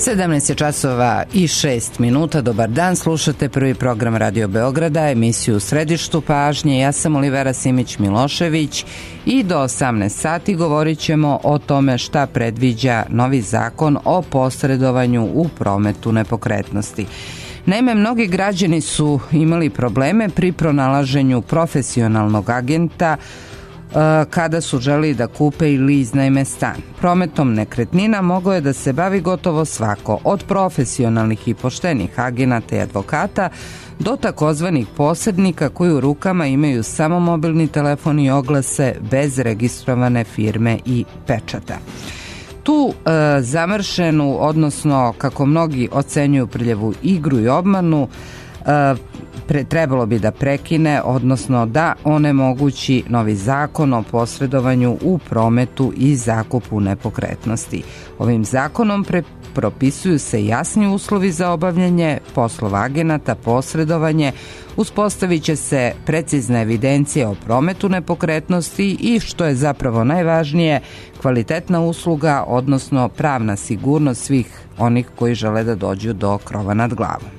17 je časova i 6 minuta. Dobar dan, slušate prvi program Radio Beograda, emisiju U središtu pažnje. Ja sam Olivera Simić-Milošević i do 18 sati govorit ćemo o tome šta predviđa novi zakon o posredovanju u prometu nepokretnosti. Naime, mnogi građani su imali probleme pri pronalaženju profesionalnog agenta kada su želeli da kupe ili iznajme stan. Prometom nekretnina mogao je da se bavi gotovo svako, od profesionalnih i poštenih agenata i advokata do takozvanih posrednika koji u rukama imaju samo mobilni telefon i oglase bez registrovane firme i pečata. Tu zamršenu, odnosno kako mnogi ocenjuju prljavu igru i obmanu, trebalo bi da prekine, odnosno da onemogući novi zakon o posredovanju u prometu i zakupu nepokretnosti. Ovim zakonom propisuju se jasni uslovi za obavljanje poslova agenata, posredovanje, uspostavit će se precizna evidencija o prometu nepokretnosti i, što je zapravo najvažnije, kvalitetna usluga, odnosno pravna sigurnost svih onih koji žele da dođu do krova nad glavom.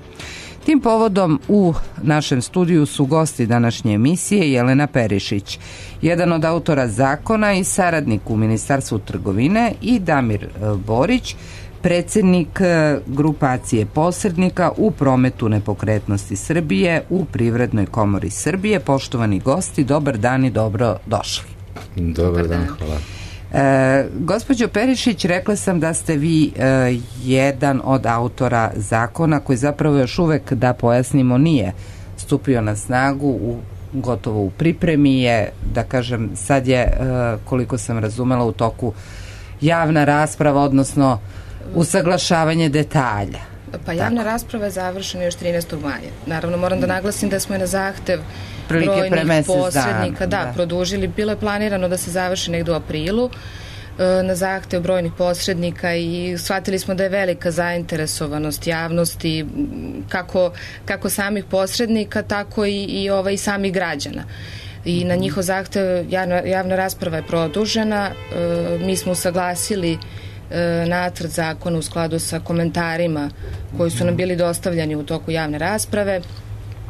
Tim povodom u našem studiju su gosti današnje emisije Jelena Perišić, jedan od autora zakona i saradnik u Ministarstvu trgovine, i Damir Borić, predsjednik grupacije posrednika u prometu nepokretnosti Srbije u Privrednoj komori Srbije. Poštovani gosti, dobar dan i dobro došli. Dobar dan, hvala. Gospođo Perišić, rekla sam da ste vi jedan od autora zakona koji zapravo još uvek, da pojasnimo, nije stupio na snagu, gotovo u pripremi je, da kažem, sad je, koliko sam razumela, u toku javna rasprava, odnosno usaglašavanje detalja. Pa javna rasprava je završena još 13. maja. Naravno, moram da naglasim da smo je na zahtev brojnih posrednika produžili. Bilo je planirano da se završi negdje u aprilu na zahtev brojnih posrednika i shvatili smo da je velika zainteresovanost javnosti, kako samih posrednika, tako i samih građana. I na njihov zahtev javna rasprava je produžena. Mi smo usaglasili nacrt zakona u skladu sa komentarima koji su nam bili dostavljeni u toku javne rasprave.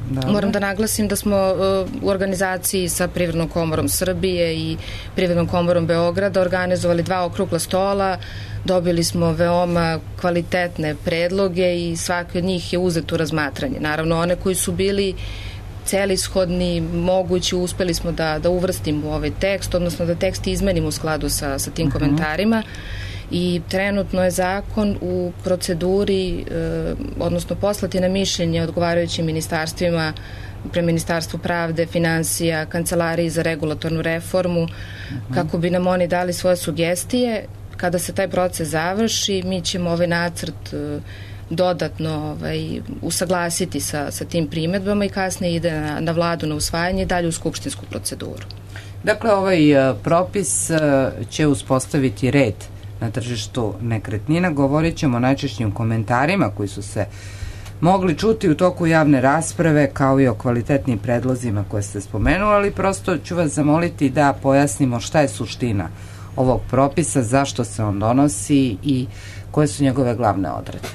Dobre. Moram da naglasim da smo u organizaciji sa Privrednom komorom Srbije i Privrednom komorom Beograda organizovali 2 okrugla stola. Dobili smo veoma kvalitetne predloge i svaki od njih je uzet u razmatranje. Naravno, one koji su bili celishodni, mogući, uspeli smo da uvrstimo u ovaj tekst, odnosno da tekst izmenimo u skladu sa tim komentarima. I trenutno je zakon u proceduri, odnosno poslati na mišljenje odgovarajućim ministarstvima, pre Ministarstvu pravde, finansija, Kancelariji za regulatornu reformu, kako bi nam oni dali svoje sugestije. Kada se taj proces završi, mi ćemo ovaj nacrt dodatno usaglasiti sa tim primedbama i kasnije ide na vladu na usvajanje i dalje u skupštinsku proceduru. Dakle, ovaj propis će uspostaviti red na tržištu nekretnina. Govorit ćemo o najčešćim komentarima koji su se mogli čuti u toku javne rasprave, kao i o kvalitetnim predlozima koje ste spomenuli, ali prosto ću vas zamoliti da pojasnimo šta je suština ovog propisa, zašto se on donosi i koje su njegove glavne odredbe.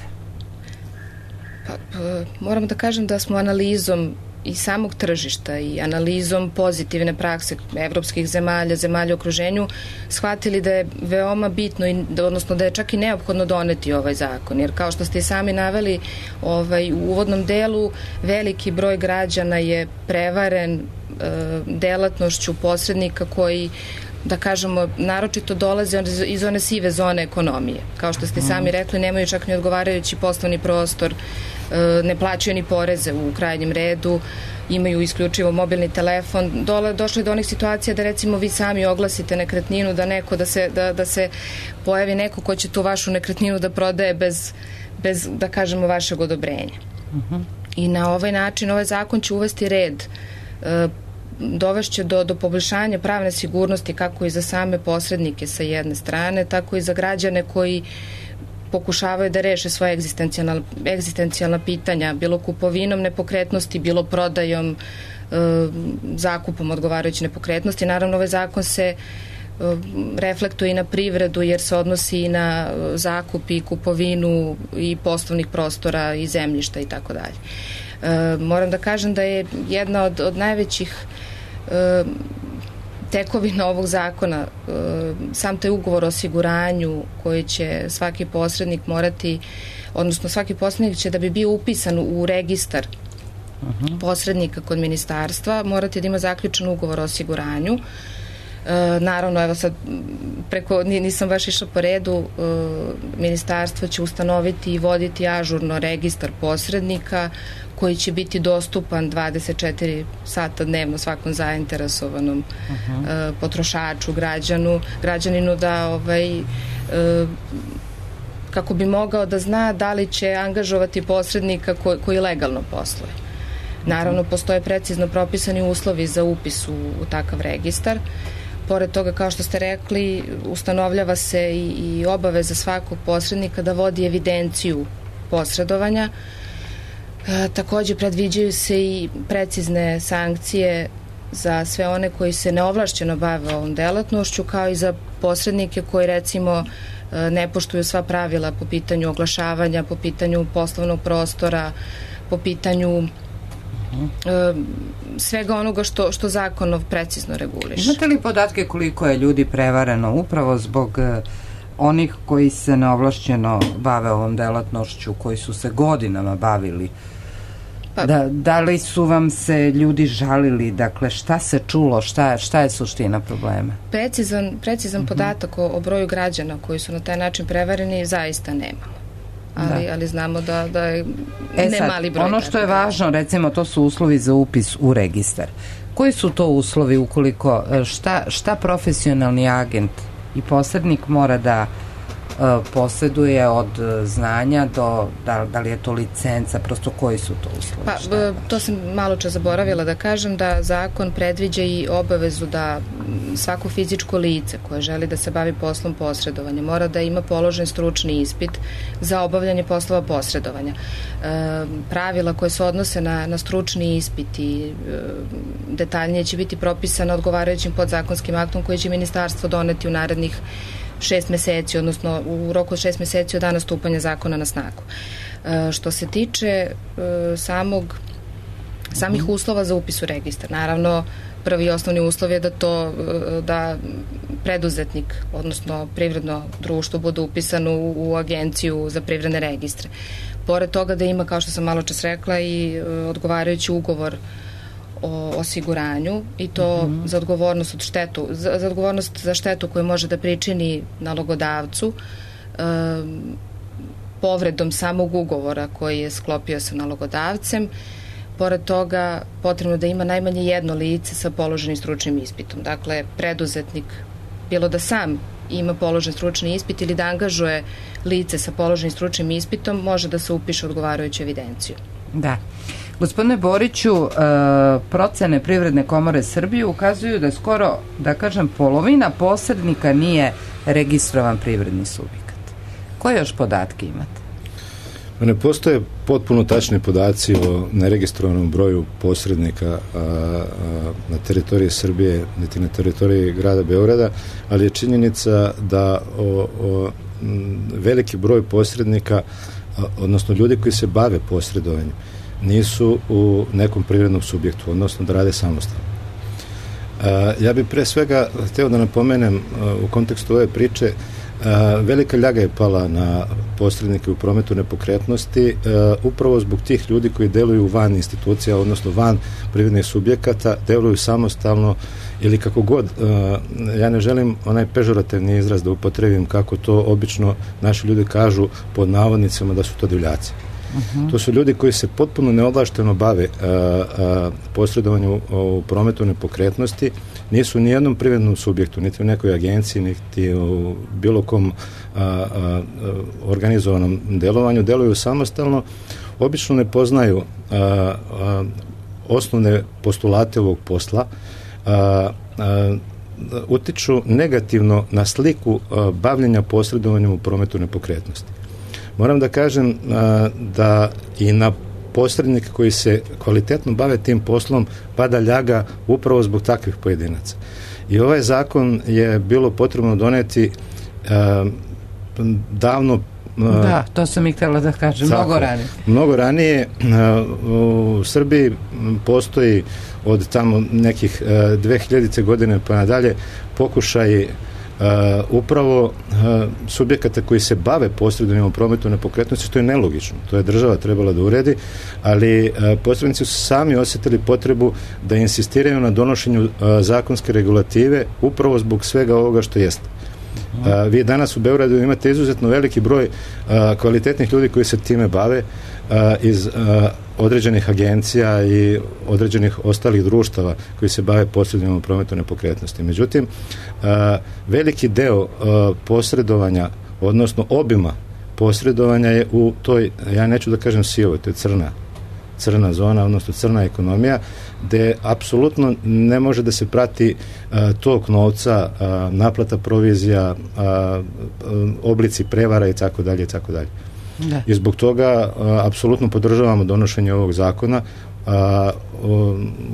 Moram da kažem da smo analizom i samog tržišta i analizom pozitivne prakse evropskih zemalja u okruženju shvatili da je veoma bitno, odnosno da je čak i neophodno doneti ovaj zakon, jer kao što ste i sami naveli u uvodnom delu, veliki broj građana je prevaren delatnošću posrednika koji, da kažemo, naročito dolaze iz one sive zone ekonomije. Kao što ste sami rekli, nemaju čak ni odgovarajući poslovni prostor, ne plaćaju ni poreze u krajnjem redu, imaju isključivo mobilni telefon. Došli do onih situacija da recimo vi sami oglasite nekretninu, da se pojavi neko ko će tu vašu nekretninu da prodaje bez da kažemo, vašeg odobrenja. I na ovaj način ovaj zakon će uvesti red, dovešće do poboljšanja pravne sigurnosti kako i za same posrednike sa jedne strane, tako i za građane koji pokušavaju da reše svoje egzistencijalna pitanja, bilo kupovinom nepokretnosti, bilo prodajom, zakupom odgovarajuće nepokretnosti. Naravno, ovaj zakon se reflektuje i na privredu jer se odnosi i na zakup i kupovinu i poslovnih prostora i zemljišta i tako dalje. Moram da kažem da je jedna od najvećih tekovina ovog zakona sam taj ugovor o osiguranju koji će svaki posrednik morati, odnosno svaki posrednik će da bi bio upisan u registar posrednika kod ministarstva morati da ima zaključen ugovor o osiguranju. Naravno, evo sad nisam baš išla po redu, ministarstvo će ustanoviti i voditi ažurno registar posrednika koji će biti dostupan 24 sata dnevno svakom zainteresovanom potrošaču, građaninu da kako bi mogao da zna da li će angažovati posrednika koji legalno posluje. Naravno, postoje precizno propisani uslovi za upis u takav registar. Pored toga, kao što ste rekli, ustanovljava se i obaveza svakog posrednika da vodi evidenciju posredovanja. Takođe, predviđaju se i precizne sankcije za sve one koji se neovlašćeno bave ovom delatnošću, kao i za posrednike koji, recimo, ne poštuju sva pravila po pitanju oglašavanja, po pitanju poslovnog prostora, po pitanju svega onoga što zakonov precizno reguliše. Imate li podatke koliko je ljudi prevareno upravo zbog onih koji se neovlašćeno bave ovom delatnošću, koji su se godinama bavili? Da li su vam se ljudi žalili? Dakle, šta se čulo? Šta je suština problema? Precizan podatak o broju građana koji su na taj način prevareni zaista nemamo. Ali znamo da je mali broj. Ono što je važno, recimo, to su uslovi za upis u registar. Koji su to uslovi ukoliko, šta profesionalni agent i posrednik mora da posjeduje od znanja do, da li je to licenca, prosto koji su to uslovi? To sam malo čas zaboravila da kažem, da zakon predviđa i obavezu da svako fizičko lice koje želi da se bavi poslom posredovanja mora da ima položen stručni ispit za obavljanje poslova posredovanja. Pravila koje se odnose na stručni ispit i detaljnije će biti propisana odgovarajućim podzakonskim aktom koji će ministarstvo doneti u narednih 6 meseci, odnosno u roku od 6 meseci od dana stupanja zakona na snagu. Što se tiče samih uslova za upis u registar, naravno prvi i osnovni uslov je da preduzetnik, odnosno privredno društvo bude upisano u agenciju za privredne registre. Pored toga da ima, kao što sam malo čas rekla, i odgovarajući ugovor o osiguranju i to za odgovornost za štetu koju može da pričini nalogodavcu povredom samog ugovora koji je sklopio sa nalogodavcem. Pored toga, potrebno da ima najmanje jedno lice sa položenim stručnim ispitom. Dakle, preduzetnik, bilo da sam ima položen stručni ispit ili da angažuje lice sa položenim stručnim ispitom, može da se upiše odgovarajuću evidenciju. Da. Gospodine Boriću, procene Privredne komore Srbije ukazuju da skoro, da kažem, polovina posrednika nije registrovan privredni subjekat. Koje još podatke imate? Ne postoje potpuno tačni podaci o neregistrovanom broju posrednika na teritoriji Srbije, niti na teritoriji grada Beograda, ali je činjenica da veliki broj posrednika, odnosno ljudi koji se bave posredovanjem, nisu u nekom privrednom subjektu, odnosno da rade samostalno. Ja bih pre svega hteo da napomenem u kontekstu ove priče, velika ljaga je pala na posrednike u prometu nepokretnosti upravo zbog tih ljudi koji deluju van institucija, odnosno van privrednih subjekata, deluju samostalno ili kako god. Ja ne želim onaj pežorativni izraz da upotrebim kako to obično naši ljudi kažu pod navodnicama da su to divljaci. To su ljudi koji se potpuno neovlašteno bave posredovanju u prometu nepokretnosti, nisu ni jednom privrednom subjektu, niti u nekoj agenciji, niti u bilo kom organizovanom delovanju, deluju samostalno, obično ne poznaju osnovne postulate ovog posla, utiču negativno na sliku bavljenja posredovanjem u prometu nepokretnosti. Moram da kažem da i na posrednike koji se kvalitetno bave tim poslom pada ljaga upravo zbog takvih pojedinaca. I ovaj zakon je bilo potrebno doneti davno. Da, to sam i htjela da kažem, mnogo ranije. Mnogo ranije. U Srbiji postoji od tamo nekih 2000. godine pa nadalje pokušaj upravo subjekata koji se bave posredovanjem u prometu nepokretnosti, što je nelogično. To je država trebala da uredi, ali posrednici su sami osjetili potrebu da insistiraju na donošenju zakonske regulative upravo zbog svega ovoga što jeste. Vi danas u Beogradu imate izuzetno veliki broj kvalitetnih ljudi koji se time bave iz određenih agencija i određenih ostalih društava koji se bave posredovanjem u prometu nepokretnosti. Međutim, veliki deo posredovanja, odnosno obima posredovanja je u toj, ja neću da kažem sivoj, to je crna zona, odnosno crna ekonomija, gde apsolutno ne može da se prati tok novca, naplata provizija, oblici prevara i tako dalje i tako dalje. I zbog toga apsolutno podržavamo donošenje ovog zakona.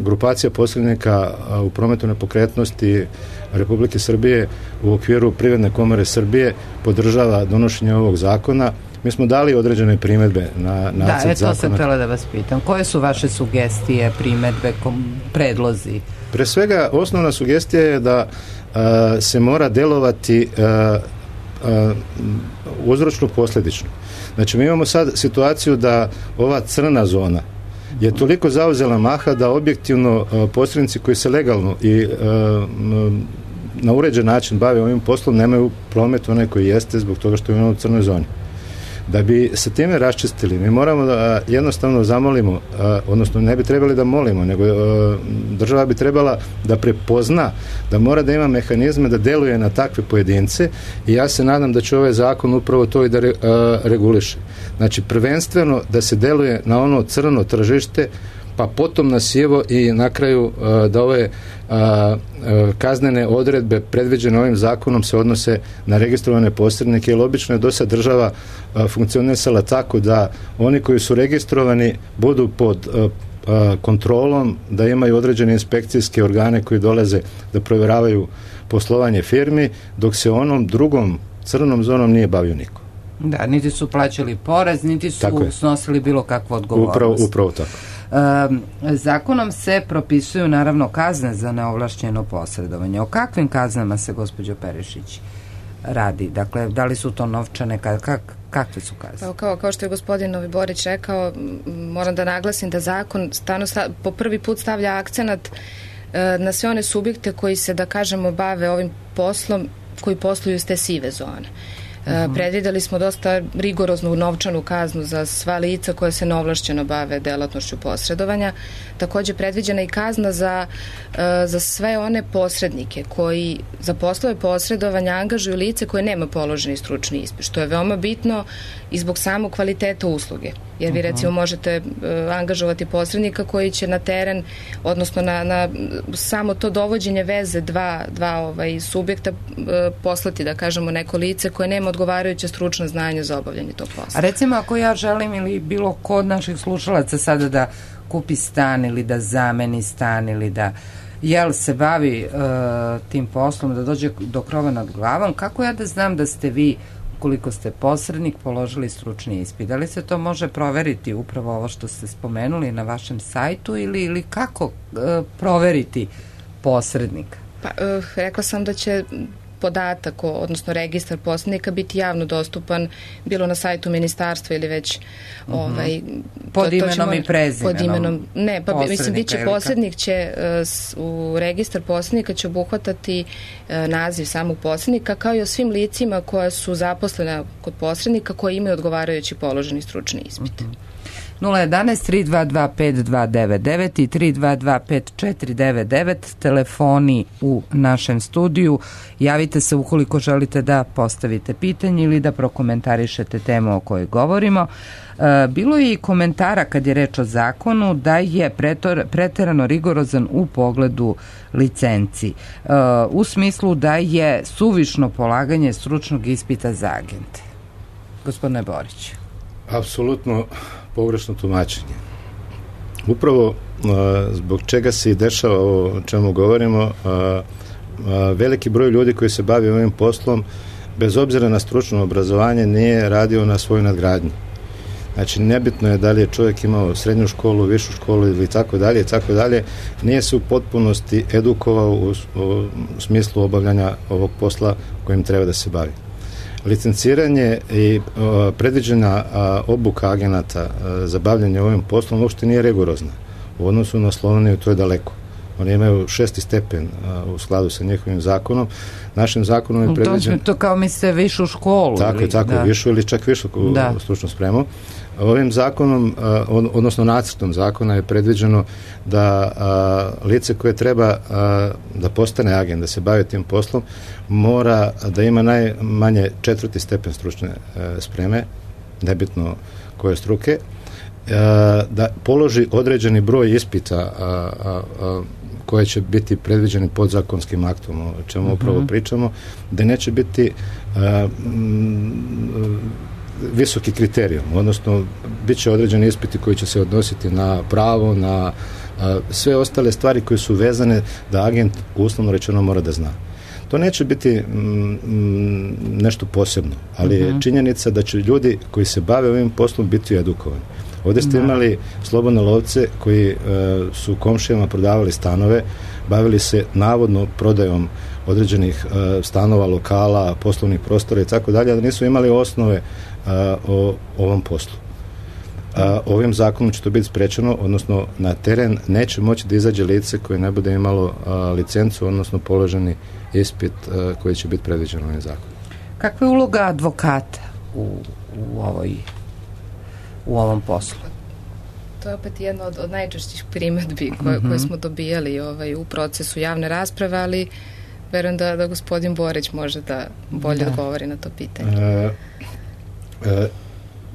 Grupacija posrednika u prometu nepokretnosti Republike Srbije u okviru Privredne komore Srbije podržava donošenje ovog zakona. Mi smo dali određene primedbe na nacrt zakona. To sam htjela da vas pitam. Koje su vaše sugestije, primedbe, predlozi? Pre svega, osnovna sugestija je da se mora delovati uzročno posledično. Znači, mi imamo sad situaciju da ova crna zona je toliko zauzela maha da objektivno posrednici koji se legalno i na uređen način bave ovim poslom nemaju promet onaj koji jeste zbog toga što imamo u crnoj zoni. Da bi se time raščistili, mi moramo da jednostavno zamolimo, odnosno ne bi trebali da molimo, nego država bi trebala da prepozna da mora da ima mehanizme da deluje na takve pojedince i ja se nadam da će ovaj zakon upravo to i da reguliše. Znači, prvenstveno da se deluje na ono crno tržište, pa potom na sivo i na kraju da ove kaznene odredbe predviđene ovim zakonom se odnose na registrovane posrednike, jer obično je do sad država funkcionisala tako da oni koji su registrovani budu pod kontrolom, da imaju određene inspekcijske organe koji dolaze da provjeravaju poslovanje firmi, dok se onom drugom crnom zonom nije bavio niko. Da, niti su plaćali porez, niti su snosili bilo kakvu odgovornost. Upravo tako. Zakonom se propisuju naravno kazne za neovlašćeno posredovanje. O kakvim kaznama se, gospođo Perišić, radi? Dakle, da li su to novčane, kakve su kazne? Kao što je gospodin Novi Borić rekao, moram da naglasim da zakon po prvi put stavlja akcenat na sve one subjekte koji se, da kažemo, bave ovim poslom, koji posluju iz te sive zone. Predvideli smo dosta rigoroznu novčanu kaznu za sva lica koja se neovlašćeno bave delatnošću posredovanja. Također predviđena i kazna za sve one posrednike koji za poslove posredovanja angažuju lice koje nema položeni stručni ispit, što je veoma bitno i zbog samog kvaliteta usluge. Jer vi recimo možete angažovati posrednika koji će na teren, odnosno na samo to dovođenje veze dva subjekta poslati, da kažemo, neko lice koje nema odgovarajuće stručno znanje za obavljanje tog posla. A recimo ako ja želim ili bilo ko od naših slušalaca sada da kupi stan ili da zameni stan ili da se bavi tim poslom, da dođe do krova nad glavom, kako ja da znam da ste vi, koliko ste posrednik, položili stručni ispit? Da li se to može proveriti, upravo ovo što ste spomenuli, na vašem sajtu ili kako proveriti posrednika? Pa, rekla sam da će podatak, odnosno registar posrednika biti javno dostupan bilo na sajtu ministarstva ili već pod imenom i prezimenom. Ne, pa mislim biće posrednik će u registar posrednika će obuhvatati naziv samog posrednika kao i o svim licima koja su zaposlena kod posrednika koji imaju odgovarajući položeni stručni ispit. 011-322-5299 i 322-5499 telefoni u našem studiju. Javite se ukoliko želite da postavite pitanje ili da prokomentarišete temu o kojoj govorimo. Bilo je i komentara kad je reč o zakonu da je preterano rigorozan u pogledu licenci, u smislu da je suvišno polaganje stručnog ispita za agente. Gospodine Borić. Apsolutno pogrešno tumačenje. Upravo zbog čega se i dešava ovo o čemu govorimo, veliki broj ljudi koji se bavi ovim poslom, bez obzira na stručno obrazovanje, nije radio na svojoj nadgradnji. Znači, nebitno je da li je čovjek imao srednju školu, višu školu ili tako dalje, nije se u potpunosti edukovao u smislu obavljanja ovog posla kojim treba da se bavi. Licenciranje i predviđena obuka agenata za bavljanje ovim poslom uopšte nije rigorozna. U odnosu na Sloveniju to je daleko. Oni imaju 6. stepen u skladu sa njihovim zakonom. Našim zakonom je predviđen... To kao mislite višu školu. Tako, višu ili čak višu stručnu spremu. Ovim zakonom, odnosno nacrtom zakona je predviđeno da lice koje treba da postane agent, da se bavi tim poslom, mora da ima najmanje 4. stepen stručne spreme, nebitno koje struke, da položi određeni broj ispita koje će biti predviđeni podzakonskim aktom, o čemu upravo pričamo, da neće biti visoki kriterijum, odnosno bit će određeni ispiti koji će se odnositi na pravo, na sve ostale stvari koje su vezane da agent uslovno rečeno mora da zna. To neće biti nešto posebno, ali je činjenica da će ljudi koji se bave ovim poslom biti edukovani. Ovdje ste imali slobodne lovce koji su komšijama prodavali stanove, bavili se navodno prodajom određenih stanova, lokala, poslovnih prostora i tako dalje, da nisu imali osnove o ovom poslu. Ovim zakonom će to biti sprečeno, odnosno na teren neće moći da izađe lice koje ne bude imalo licencu, odnosno položeni ispit koji će biti predviđen ovim zakonom. Kakva je uloga advokata u ovom poslu? To je opet jedna od najčešćih primedbi koje smo dobijali u procesu javne rasprave, ali verujem da gospodin Borić može da bolje odgovori na to pitanje.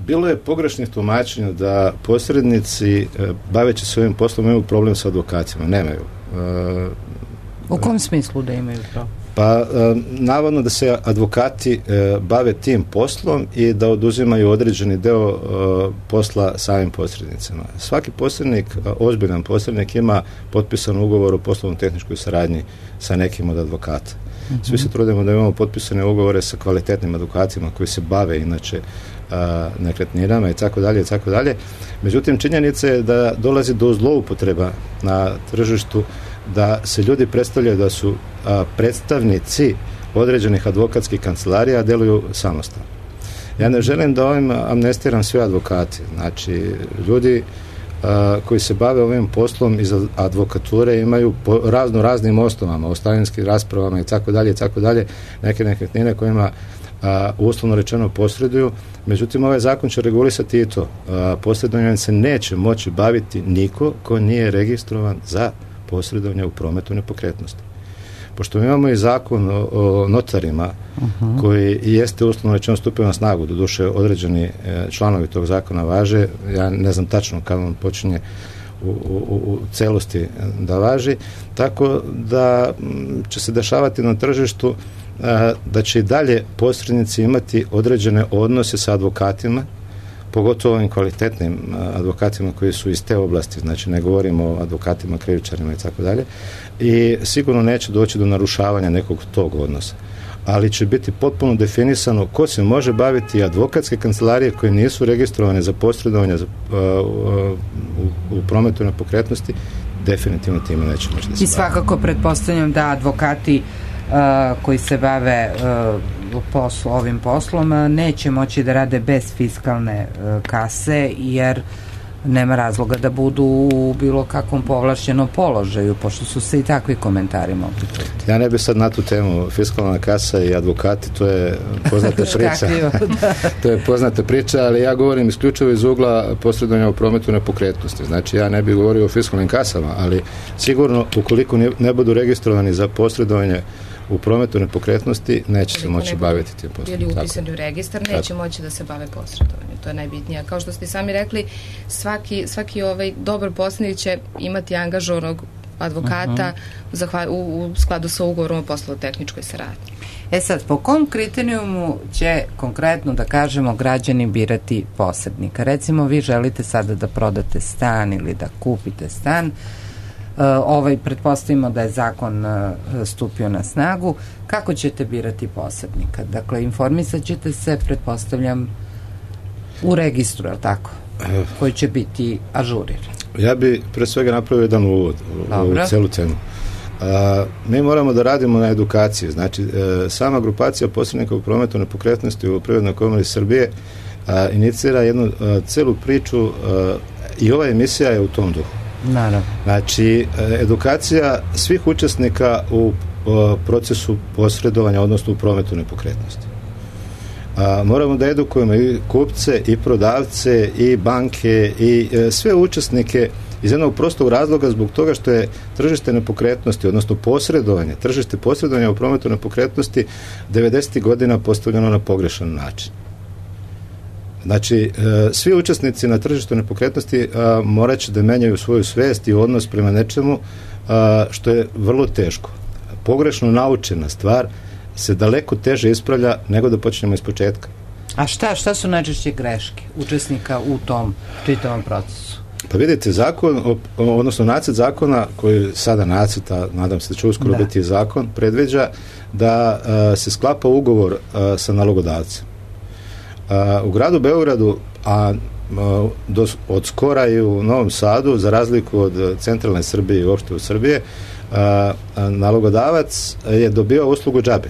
Bilo je pogrešnih tumačenja da posrednici baveći se ovim poslom imaju problem sa advokatima. Nemaju. U kom smislu da imaju to? Pa, navodno da se advokati bave tim poslom i da oduzimaju određeni deo posla samim posrednicima. Svaki posrednik, ozbiljan posrednik, ima potpisan ugovor o poslovno-tehničkoj saradnji sa nekim od advokata. Svi se trudimo da imamo potpisane ugovore sa kvalitetnim advokatima koji se bave inače nekretninama i tako dalje. Međutim, činjenica je da dolazi do zloupotreba na tržištu, da se ljudi predstavljaju da su predstavnici određenih advokatskih kancelarija, a deluju samostalno. Ja ne želim da ovim amnestiram sve advokati. Znači, ljudi koji se bave ovim poslom iz advokature imaju po raznim osnovama, ostavinskim raspravama i tako dalje, neke nekretnine kojima uslovno rečeno posreduju. Međutim, ovaj zakon će regulisati i to. Posredovanjem se neće moći baviti niko ko nije registrovan za posredovanje u prometu nepokretnosti. Pošto mi imamo i zakon o notarima koji jeste uslovno rečeno stupio na snagu, doduše određeni članovi tog zakona važe, ja ne znam tačno kada on počinje u celosti da važi, tako da će se dešavati na tržištu da će i dalje posrednici imati određene odnose sa advokatima, pogotovo ovim kvalitetnim advokatima koji su iz te oblasti, znači ne govorimo o advokatima, krivičarima i tako dalje, i sigurno neće doći do narušavanja nekog tog odnosa. Ali će biti potpuno definisano ko se može baviti advokatske kancelarije koje nisu registrovane za posredovanje u prometu nepokretnosti, definitivno time neće moći da se I svakako pretpostavljam da advokati koji se bave ovim poslom neće moći da rade bez fiskalne kase, jer nema razloga da budu u bilo kakvom povlašćenom položaju, pošto su se i takvi komentari mogli čuti. Ja ne bih sad na tu temu fiskalna kasa i advokati, to je poznata priča. To je poznata priča, ali ja govorim isključivo iz ugla posredovanja u prometu nepokretnosti. Znači, ja ne bih govorio o fiskalnim kasama, ali sigurno ukoliko ne budu registrovani za posredovanje u prometu nepokretnosti, neće se moći baviti tim poslom. Bili upisani u registar, neće moći da se bave posredovanjem. To je najbitnije. Kao što ste sami rekli, svaki dobar posrednik će imati angažovanog advokata u skladu sa ugovorom o poslovno-tehničkoj saradnji. Sad, po kom kriterijumu će konkretno, da kažemo, građani birati posrednika? Recimo, vi želite sada da prodate stan ili da kupite stan. pretpostavimo da je zakon stupio na snagu, kako ćete birati posrednika? Dakle, informisat ćete se, pretpostavljam, u registru, je li tako? Koji će biti ažuriran. Ja bi pre svega napravio jedan uvod u celu cenu. Mi moramo da radimo na edukaciji. Znači, sama grupacija posrednika u prometu nepokretnosti u Privrednoj komori Srbije inicira jednu celu priču i ova emisija je u tom duhu. Naravno. Znači, edukacija svih učesnika u procesu posredovanja, odnosno u prometu nepokretnosti. Moramo da edukujemo i kupce, i prodavce, i banke, i sve učesnike iz jednog prostog razloga zbog toga što je tržište nepokretnosti, odnosno tržište posredovanja u prometu nepokretnosti 90. godina postavljeno na pogrešan način. Znači, svi učesnici na tržištu nepokretnosti morat će da menjaju svoju svest i odnos prema nečemu što je vrlo teško. Pogrešno naučena stvar se daleko teže ispravlja nego da počnemo iz početka. A šta su najčešće greške učesnika u tom čitavom procesu? Pa vidite, odnosno nacrt zakona koji sada nacrta, nadam se da će uskoro biti zakon, predviđa da se sklapa ugovor sa nalogodavcem. U gradu Beogradu, od skora i u Novom Sadu, za razliku od centralne Srbije i uopšte u Srbije, nalogodavac je dobio uslugu džabe,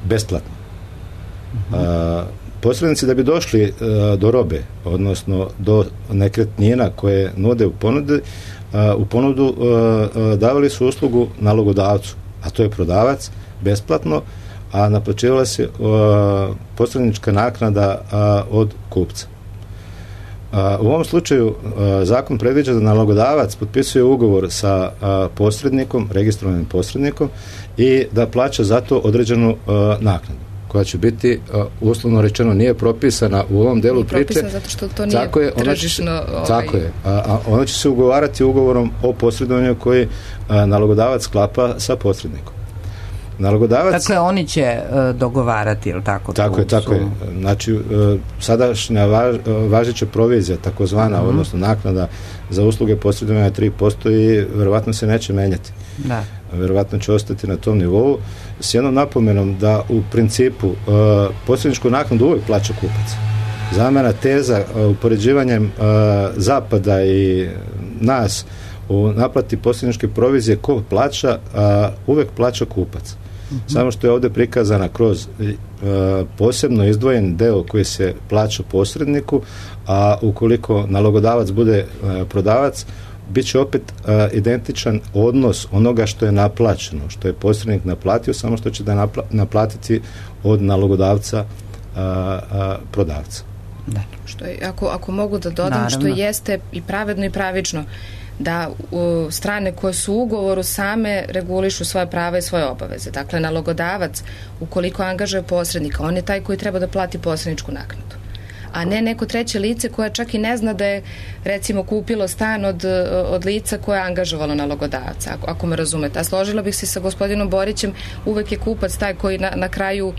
besplatno. Posrednici da bi došli do robe, odnosno do nekretnina koje nude u ponudu davali su uslugu nalogodavcu, a to je prodavac, besplatno, a naplaćivala se posrednička naknada od kupca. U ovom slučaju zakon predviđa da nalogodavac potpisuje ugovor sa posrednikom, registrovanim posrednikom, i da plaća za to određenu naknadu, koja će biti, uslovno rečeno, nije propisana u ovom delu priče. Nije propisana zato što to nije tržišno... Tako je. Ona će se ugovarati ugovorom o posredovanju koji nalogodavac sklapa sa posrednikom. Dakle, oni će dogovarati, ili tako? Tako je. Znači, sadašnja važeća provizija, takozvana, odnosno naknada za usluge posredovanja 3% i verovatno se neće menjati. Da. Verovatno će ostati na tom nivou, s jednom napomenom da u principu posredničku naknadu uvijek plaća kupac. Zamena teza upoređivanjem Zapada i nas u naplati posredničke provizije ko plaća, uvek plaća kupac. Samo što je ovdje prikazana kroz posebno izdvojen deo koji se plaća posredniku, a ukoliko nalogodavac bude prodavac, bit će opet identičan odnos onoga što je naplaćeno, što je posrednik naplatio, samo što će da naplatiti od nalogodavca prodavca. Da. Što je, ako mogu da dodam, naravno, što jeste i pravedno i pravično, da strane koje su u ugovoru same regulišu svoje prava i svoje obaveze. Dakle, nalogodavac, ukoliko angažuje posrednika, on je taj koji treba da plati posredničku naknadu, a ne neko treće lice koje čak i ne zna da je, recimo, kupilo stan od lica koje je angažovalo nalogodavca, ako me razumete. A složila bih se sa gospodinom Borićem, uvek je kupac taj koji na kraju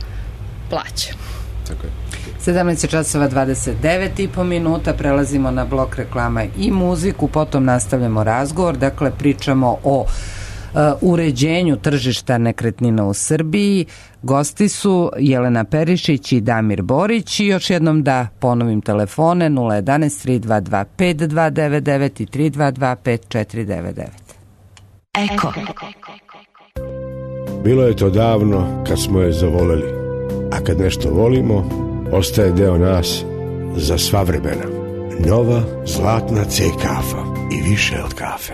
plaća. Tako je. 17:29 prelazimo na blok reklama i muziku, potom nastavljamo razgovor. Dakle, pričamo o uređenju tržišta nekretnina u Srbiji. Gosti su Jelena Perišić i Damir Borić, i još jednom da ponovim telefone 011 322 5299 i 322 5499. Eko. Bilo je to davno kad smo je zavoleli, a kad nešto volimo, ostaje deo nas za sva vremena. Nova zlatna C kafa i više od kafe.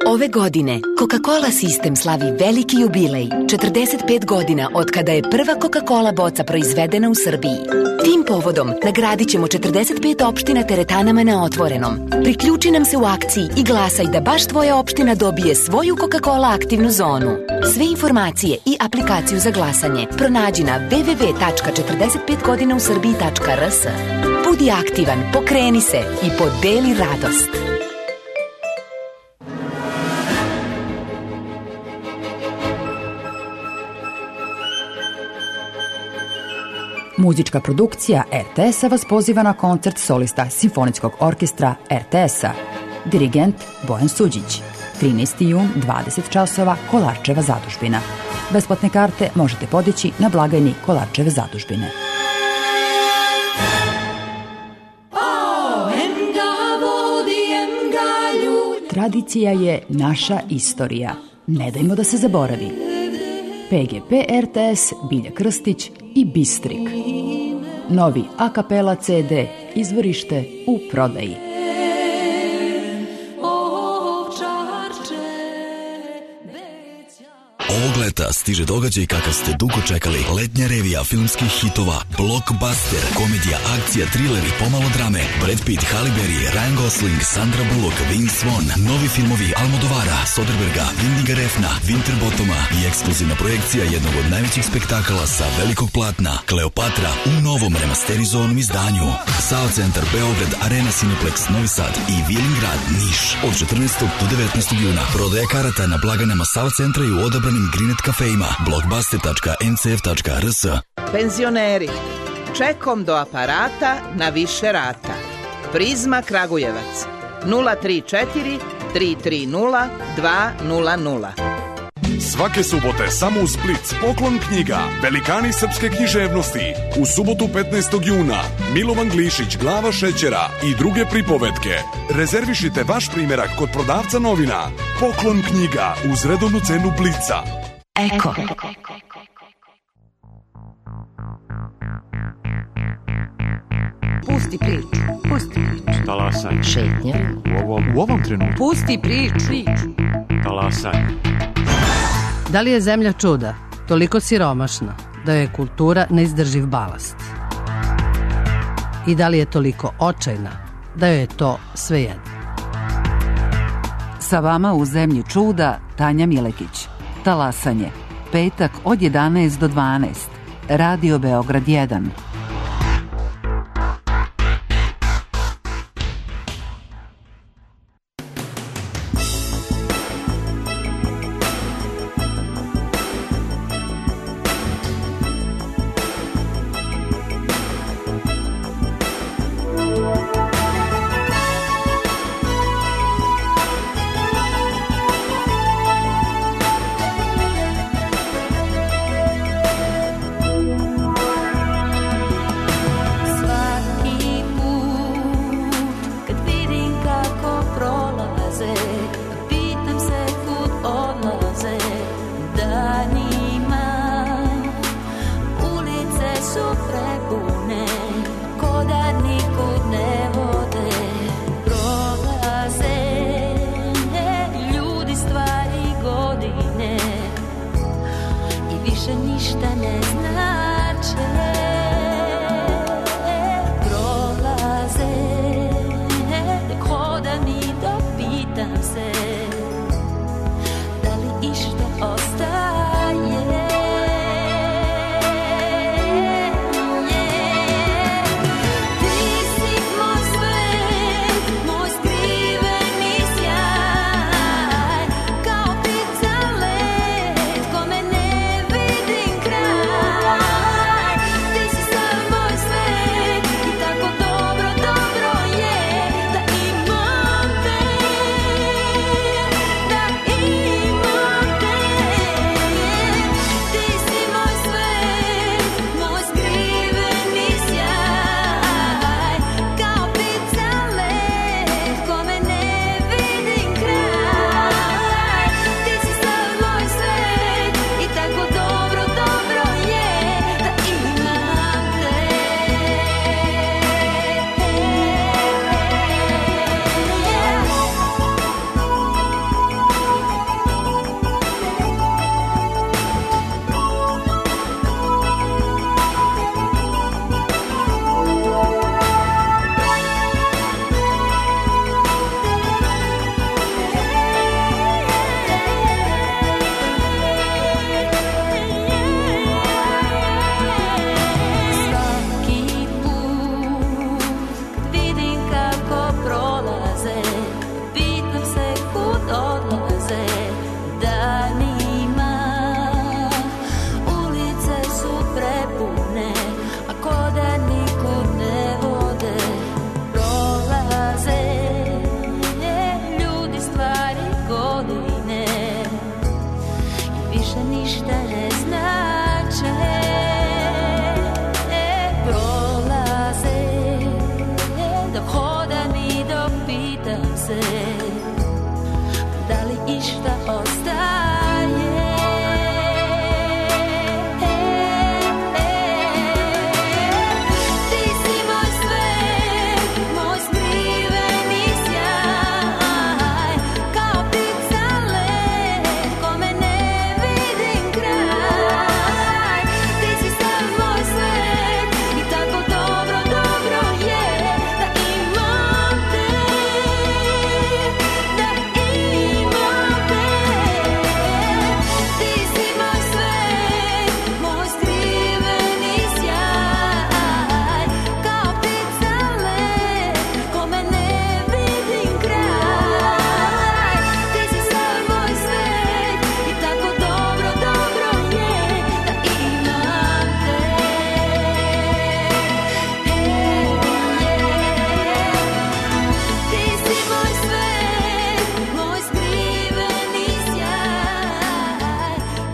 Ove godine Coca-Cola sistem slavi veliki jubilej, 45 godina od kada je prva Coca-Cola boca proizvedena u Srbiji. Tim povodom nagradit ćemo 45 opština teretanama na otvorenom. Priključi nam se u akciji i glasaj da baš tvoja opština dobije svoju Coca-Cola aktivnu zonu. Sve informacije i aplikaciju za glasanje pronađi na www.45godinausrbiji.rs. Budi aktivan, pokreni se i podeli radost. Muzička produkcija RTS-a vas poziva na koncert solista Simfonijskog orkestra RTS-a. Dirigent Bojan Suđić. 13. jun, 20 časova, Kolarčeva zadužbina. Besplatne karte možete podići na blagajni Kolarčeve zadužbine. Tradicija je naša istorija. Ne dajmo da se zaboravi. PGP RTS, Bilja Krstić i Bistrik. Novi a kapela CD, izvorište u prodaji. Ovog leta stiže događaj kakav ste dugo čekali. Letnja revija filmskih hitova, blockbuster, komedija, akcija, thriller i pomalo drame. Brad Pitt, Halle Berry, Ryan Gosling, Sandra Bullock, Vince Vaughn, novi filmovi Almodovara, Soderberga, Windiga Refna, Winterbottoma i ekskluzivna projekcija jednog od najvećih spektakala sa velikog platna, Kleopatra, u novom remasterizovanom izdanju. SAO Centar Beograd, Arena Cineplex Novi Sad i Vilingrad Niš od 14. do 19. juna. Prodaja karata na blagajnama SAO Centra i u odabranim Grinet kafejima, blockbuster.ncf.rs. Penzioneri, čekom do aparata na više rata. Prizma Kragujevac 034 330 200. Svake subote samo u Split poklon knjiga Velikani srpske književnosti. U subotu 15. juna Milovan Glišić, Glava šećera i druge pripovetke. Rezervišite vaš primjerak kod prodavca novina. Poklon knjiga uz redovnu cenu Blica. Eko. Pusti priču. Pusti priču. Talasaj. Šetnja. U ovom trenutku. Pusti priču. Talasaj. Da li je zemlja čuda, toliko siromašna, da je kultura neizdrživ balast? I da li je toliko očajna, da joj je to svejedno? Sa vama u zemlji čuda Tanja Milekić. Talasanje. Petak od 11 do 12. Radio Beograd 1. prolaze, dok hodam i dok pitam se da li išta ostaje. Ti si moj svet, moj skriveni sjaj, kao ptica let, kome ne vidim kraj. Ti si sav moj svet i tako dobro, dobro je da imam te, da imam te. Ti si moj svet, moj skriveni sjaj, kao ptica let, kome ne vidim kraj. Ti si sav moj svet i tako dobro, dobro je da imam te. Ti si moj svet, moj skriveni sjaj,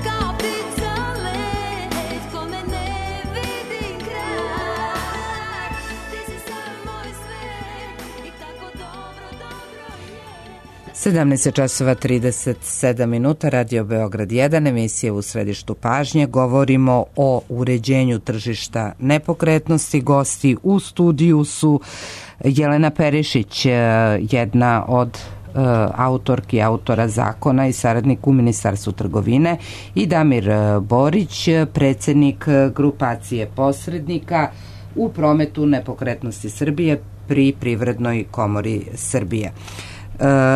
kao ptica let, kome ne vidim kraj. Ti si sav moj svet i tako dobro, dobro je. 17 časova 37 minuta, Radio Beograd 1, emisija U središtu pažnje. Govorimo o uređenju tržišta nepokretnosti. Gosti u studiju su Jelena Perišić, jedna od autorki, autora zakona i saradnik u Ministarstvu trgovine, i Damir Borić, predsjednik grupacije posrednika u prometu nepokretnosti Srbije pri Privrednoj komori Srbije.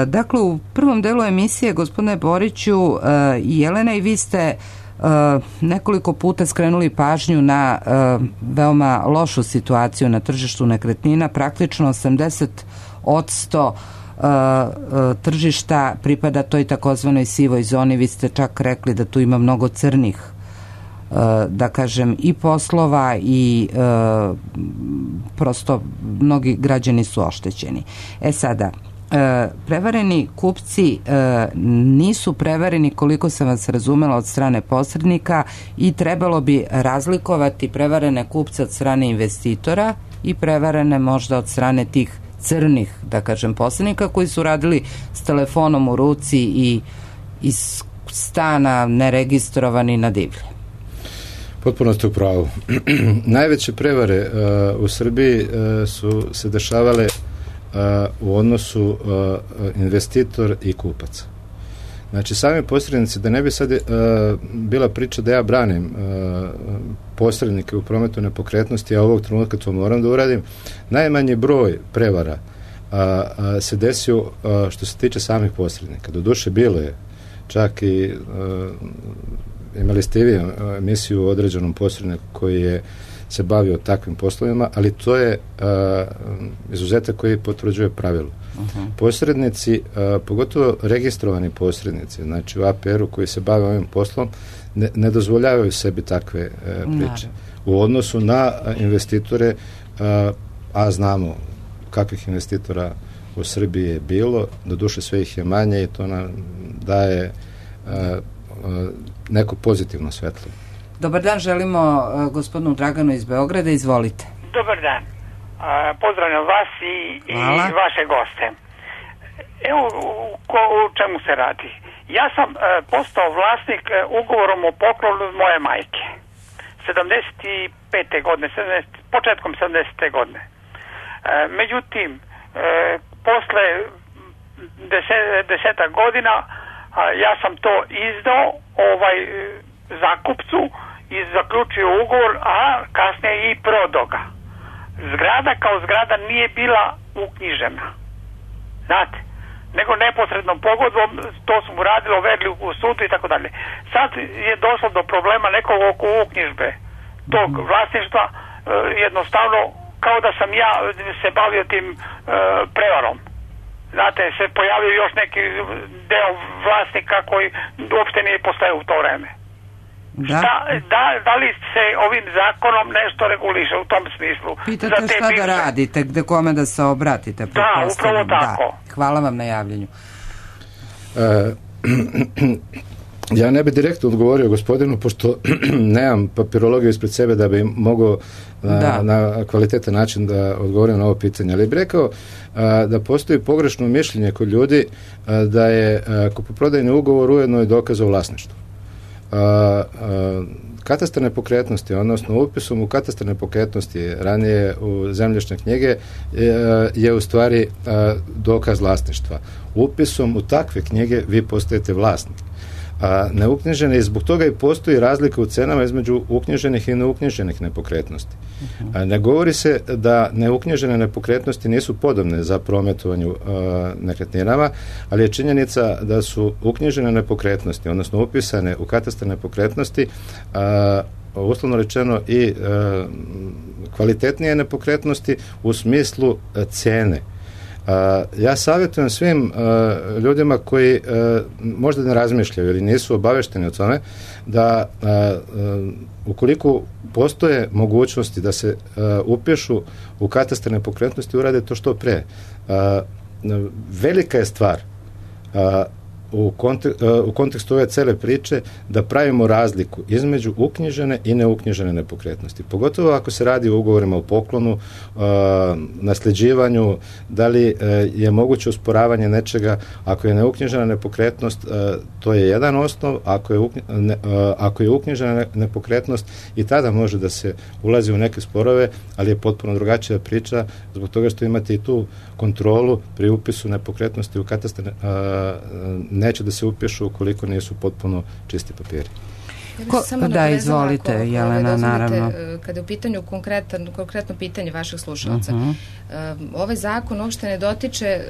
Dakle, u prvom delu emisije, gospodine Boriću i Jelena, i vi ste nekoliko puta skrenuli pažnju na veoma lošu situaciju na tržištu nekretnina. Praktično 80% tržišta pripada toj takozvanoj sivoj zoni. Vi ste čak rekli da tu ima mnogo crnih, da kažem, i poslova i prosto mnogi građani su oštećeni. Sada, prevareni kupci nisu prevareni, koliko sam vas razumela, od strane posrednika, i trebalo bi razlikovati prevarene kupce od strane investitora i prevarene možda od strane tih crnih, da kažem, posrednika koji su radili s telefonom u ruci i iz stana neregistrovani na divlje. Potpuno ste u pravu. Najveće prevare u Srbiji su se dešavale u odnosu investitor i kupac. Znači, sami posrednici, da ne bi sad bila priča da ja branim posrednike u prometu nepokretnosti, a ovog trenutka to moram da uradim, najmanji broj prevara se desio što se tiče samih posrednika. Doduše, bilo je čak i imali ste i vi emisiju o određenom posredniku koji je se bavio takvim poslovima, ali to je izuzetak koji potvrđuje pravilo. Posrednici, pogotovo registrovani posrednici, znači u APR-u koji se bave ovim poslom, ne dozvoljavaju sebi takve priče. U odnosu na investitore, a znamo kakvih investitora u Srbiji je bilo, doduše sve ih je manje i to nam daje neko pozitivno svetlo. Dobar dan, želimo gospodinu Draganu iz Beograda, izvolite. Dobar dan, pozdravljam vas i vaše goste. Evo u čemu se radi. Ja sam postao vlasnik ugovorom o poklonu moje majke 75. godine, početkom 70. godine. Međutim, posle 10 godina ja sam to izdao zakupcu i zaključio ugovor, a kasnije i prodao ga. Zgrada kao zgrada nije bila uknjižena, znate, nego neposrednom pogodbom, to smo uradili, overili u sudu i tako dalje. Sad je došlo do problema nekog oko uknjižbe tog vlasništva, jednostavno kao da sam ja se bavio tim prevarom. Znate, se pojavio još neki deo vlasnika koji uopšte nije postojao u to vreme. Da li se ovim zakonom nešto reguliše u tom smislu? Pitate šta da radite, gde kome da se obratite? Da, upravo tako. Hvala vam na javljanju. Ja ne bi direktno odgovorio gospodinu, pošto nemam papirologiju ispred sebe da bi mogao na kvalitetan način da odgovorim na ovo pitanje. Ali bih rekao da postoji pogrešno mišljenje kod ljudi da je kupoprodajni ugovor ujedno i dokaz o vlasništvu. Katastar nepokretnosti, odnosno upisom u katastar nepokretnosti ranije u zemljišne knjige je u stvari dokaz vlasništva. Upisom u takve knjige vi postajete vlasnik. Neuknjižene, i zbog toga i postoji razlika u cenama između uknjiženih i neuknjiženih nepokretnosti. Ne govori se da neuknjižene nepokretnosti nisu podobne za prometovanju nekretninama, ali je činjenica da su uknjižene nepokretnosti, odnosno upisane u katastar nepokretnosti, uslovno rečeno i kvalitetnije nepokretnosti u smislu cene. Ja savjetujem svim ljudima koji možda ne razmišljaju ili nisu obavešteni o tome da ukoliko postoje mogućnosti da se upišu u katastar nepokretnosti, urade to što pre. Velika je stvar u kontekstu ove cele priče da pravimo razliku između uknjižene i neuknjižene nepokretnosti. Pogotovo ako se radi o ugovorima o poklonu, nasljeđivanju, da li je moguće osporavanje nečega. Ako je neuknjižena nepokretnost, to je jedan osnov, ako je uknjižena nepokretnost i tada može da se ulazi u neke sporove, ali je potpuno drugačija priča zbog toga što imate i tu kontrolu pri upisu nepokretnosti u katastar. Neće da se upišu ukoliko nisu potpuno čisti papiri. Da, izvolite, Jelena, naravno. Kada je u pitanju konkretno pitanje vaših slušalaca, ovaj zakon uopšte ne dotiče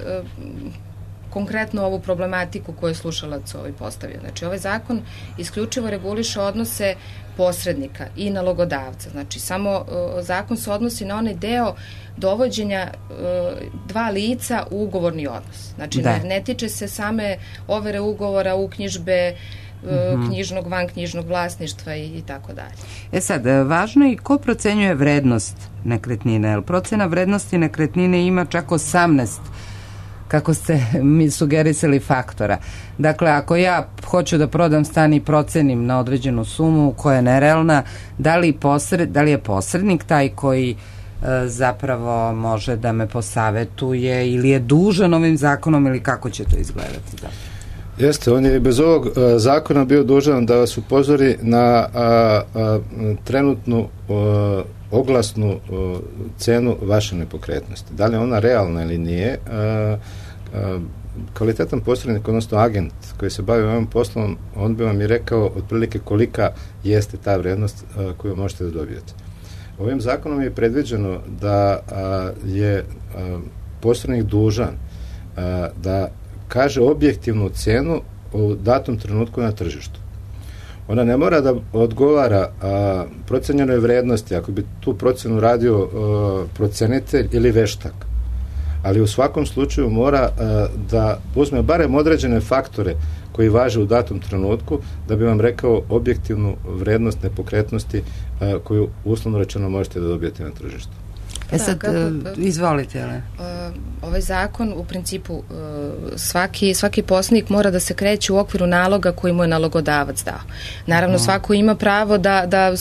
konkretno ovu problematiku koju je slušalac postavio. Znači, ovaj zakon isključivo reguliše odnose posrednika i nalogodavca. Znači, samo zakon se odnosi na onaj deo dovođenja dva lica u ugovorni odnos. Znači, ne tiče se same overe ugovora, uknjižbe, knjižnog, vanknjižnog vlasništva i tako dalje. Sad, važno je i ko procenjuje vrednost nekretnine, jer procena vrednosti nekretnine ima čak 18, kako ste mi sugerisali, faktora. Dakle, ako ja hoću da prodam stan i procenim na određenu sumu koja je nerealna, da li je posrednik taj koji zapravo može da me posavetuje ili je dužan ovim zakonom ili kako će to izgledati? Jeste, on je bez ovog zakona bio dužan da vas upozori na trenutnu oglasnu cenu vaše nepokretnosti. Da li je ona realna ili nije, kvalitetan posrednik, odnosno agent koji se bavi ovim poslom, on bi vam i rekao otprilike kolika jeste ta vrednost koju možete da dobijete. Ovim zakonom je predviđeno da je posrednik dužan da kaže objektivnu cenu u datom trenutku na tržištu. Ona ne mora da odgovara procenjenoj vrednosti, ako bi tu procenu radio procenitelj ili veštak. Ali u svakom slučaju mora da uzme barem određene faktore koji važe u datom trenutku da bi vam rekao objektivnu vrednost nepokretnosti koju uslovno rečeno možete da dobijete na tržištu. Izvolite, ale. Ovaj zakon u principu svaki posrednik mora da se kreće u okviru naloga koji mu je nalogodavac dao. Naravno, svako ima pravo da